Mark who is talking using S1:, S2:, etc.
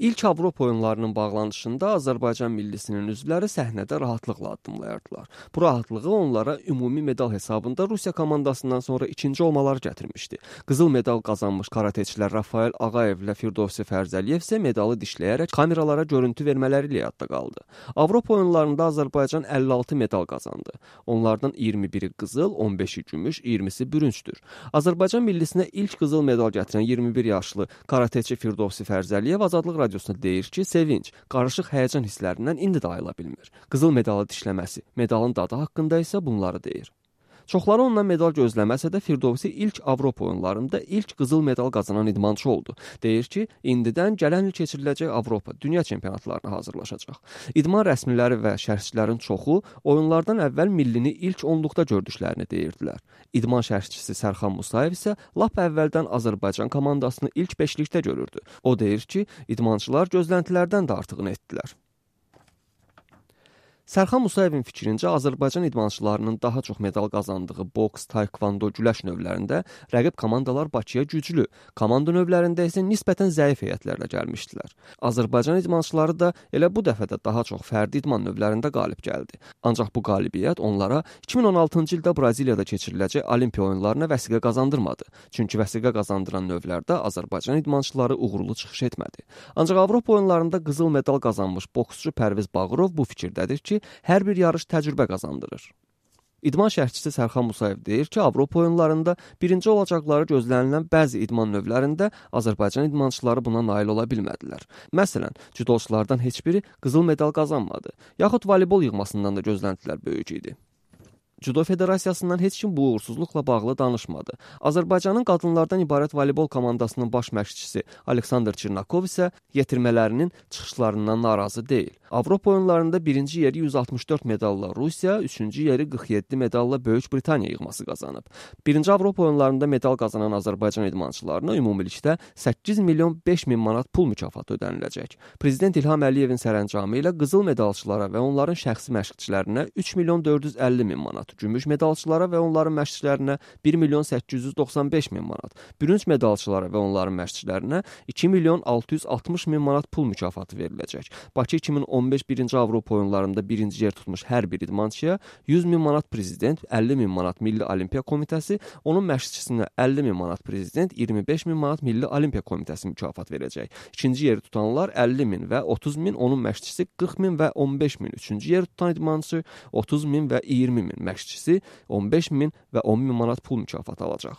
S1: İlk Avropa oyunlarının bağlanışında Azərbaycan millisinin üzvləri səhnədə rahatlıqla addımlayardılar. Bu rahatlığı onlara ümumi medal hesabında Rusiya komandasından sonra ikinci olmaları gətirmişdi. Qızıl medal qazanmış karateçilər Rafael Ağayev ilə Firdovsi Fərzəliyev isə medalı dişləyərək kameralara görüntü vermələri ilə yadda qaldı. Avropa oyunlarında Azərbaycan 56 medal qazandı. Onlardan 21-i qızıl, 15-i gümüş, 20-si bürüncdür. Azərbaycan millisinə ilk qızıl medal gətirən 21 yaşlı karateçi Firdovsi Fərzəliyev Azadlıq Radiosuna deyir ki, sevinç, qarışıq həyəcan hisslərindən indi də ayıla bilmir. Qızıl medalı dişləməsi, medalın dadı haqqında isə bunları deyir. Çoxları ondan medal gözləməsə də Firdovsi ilk Avropa oyunlarında ilk qızıl medal qazanan idmançı oldu. Deyir ki, indidən gələn il keçiriləcək Avropa, dünya çempionatlarına hazırlaşacaq. İdman rəsmiləri və şərhçilərin çoxu oyunlardan əvvəl millini ilk 10-luqda gördüklərini deyirdilər. İdman şərhçisi Sərxan Musayev isə lap əvvəldən Azərbaycan komandasını ilk 5-likdə görürdü. O deyir ki, idmançılar gözləntilərdən də artığını etdilər. Sərxan Musayevin fikrincə Azərbaycan idmançılarının daha çox medal qazandığı boks, taekvondo, güləş növlərində rəqib komandalar Bakıya güclü, komanda növlərində isə nisbətən zəif heyətlərlə gəlmişdilər. Azərbaycan idmançıları da elə bu dəfə də daha çox fərdi idman növlərində qalib gəldi. Ancaq bu qalibiyyət onlara 2016-cı ildə Braziliyada keçiriləcək Olimpiya oyunlarına vəsiqə qazandırmadı. Çünki vəsiqə qazandıran növlərdə Azərbaycan idmançıları uğurlu çıxış etmədi. Ancaq Avropa oyunlarında qızıl medal qazanmış boksçu Pərviz Bağırov bu fikirdədir ki, hər bir yarış təcrübə qazandırır. İdman şərhçisi Sərxan Musayev deyir ki, Avropa oyunlarında birinci olacaqları gözlənilən bəzi idman növlərində Azərbaycan idmançıları buna nail ola bilmədilər. Məsələn, cüdoçulardan heç biri qızıl medal qazanmadı, yaxud voleybol yığmasından da gözləntilər böyük idi. Judo Federasiyasından heç kim bu uğursuzluqla bağlı danışmadı. Azərbaycanın qadınlardan ibarət voleybol komandasının baş məşqçisi Aleksandr Çirnakov isə yetirmələrinin çıxışlarından narazı deyil. Avropa oyunlarında birinci yeri 164 medalla Rusiya, üçüncü yeri 47 medalla Böyük Britaniya yığması qazanıb. Birinci Avropa oyunlarında medal qazanan Azərbaycan idmançılarına ümumilikdə 8 milyon 5 min manat pul mükafatı ödəniləcək. Prezident İlham Əliyevin sərəncamı ilə qızıl medalçılara və onların şəxsi məşqçilərinə 3 milyon 450 min manat, gümüş medalçılara və onların məşqçilərinə 1 milyon 895 min manat, bürünc medalçılara və onların məşqçilərinə 2 milyon 660 min manat pul mükafatı veriləcək. Bakı 2015 birinci Avropa oyunlarında birinci yer tutmuş hər bir idmançıya 100 min manat prezident, 50 min manat Milli Olimpiya Komitəsi, onun məşqçisinə 50 min manat prezident, 25 min manat Milli Olimpiya Komitəsi mükafat verəcək. İkinci yeri tutanlar 50 min və 30 min, onun məşqçisi 40 min və 15 min. Üçüncü yeri tutan idmançı 30 min və 20 min, məşqçisi 15 min və 10 min manat pul mükafatı alacaq.